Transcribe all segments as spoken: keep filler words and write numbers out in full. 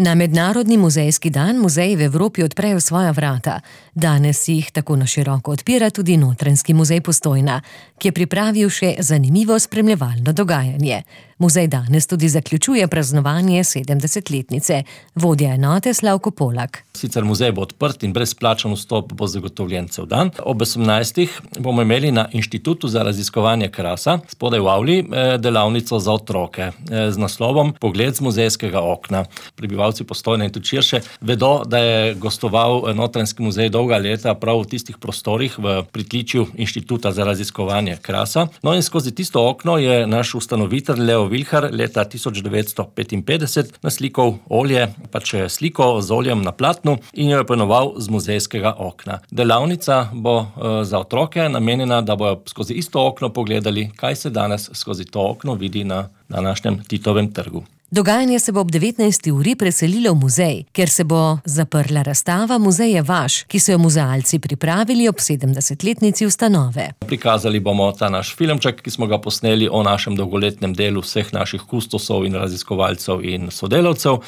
Na Mednarodni muzejski dan muzeji v Evropi odprejo svoja vrata. Danes jih tako na široko odpira tudi Notranjski muzej Postojna, ki je pripravil še zanimivo spremljevalno dogajanje. Muzej danes tudi zaključuje praznovanje sedemdesetletnice. Vodja enote Slavko Polak. Sicer muzej bo odprt in brezplačen vstop bo zagotovljen cel dan. Ob osemnajstih bomo imeli na Inštitutu za raziskovanje krasa spodaj v avli delavnico za otroke z naslovom Pogled z muzejskega okna. Prebivalci Postojne in tudi širše vedo, da je gostoval Notranjski muzej dolga leta prav v tistih prostorih v pritličju Inštituta za raziskovanje krasa. No in skozi tisto okno je naš ustanovitelj Leo Vilhar leta tisoč devetsto petinpetdeset naslikal olje, pač sliko z oljem na platnu in jo je poimenoval Z muzejskega okna. Delavnica bo za otroke namenjena, da bojo skozi isto okno pogledali, kaj se danes skozi to okno vidi na današnjem Titovem trgu. Dogajanje se bo ob devetnajsti uri preselilo v muzej, kjer se bo zaprla razstava Muzej je vaš, ki so jo muzealci pripravili ob sedemdesetletnici ustanove. Prikazali bomo ta naš filmček, ki smo ga posneli o našem dolgoletnem delu vseh naših kustosov in raziskovalcev in sodelavcev,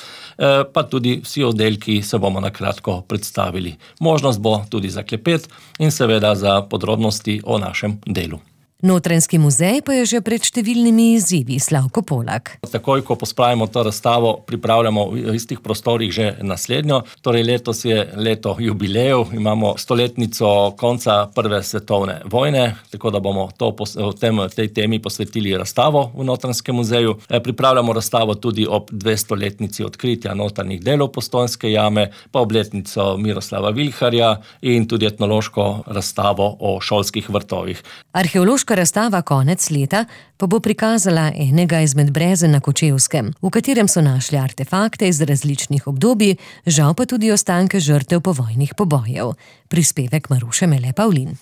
pa tudi vsi oddelki se bomo na kratko predstavili. Možnost bo tudi za klepet in seveda za podrobnosti o našem delu. Notranjski muzej pa je že pred številnimi izzivi, Slavko Polak. Takoj, ko pospravimo to razstavo, pripravljamo v istih prostorih že naslednjo. Torej letos je leto jubilejev, imamo stoletnico konca Prve svetovne vojne, tako da bomo to, v tem, tej temi posvetili razstavo v Notranjskem muzeju. Pripravljamo razstavo tudi ob dvestoletnici odkritja notranjih delov Postojnske jame, pa obletnico Miroslava Vilharja in tudi etnološko razstavo o šolskih vrtovih. Arheološka razstava konec leta pa bo prikazala enega izmed brezen na Kočevskem, v katerem so našli artefakte iz različnih obdobij, žal pa tudi ostanke žrtev povojnih pobojev. Prispevek Maruše Mele Pavlin.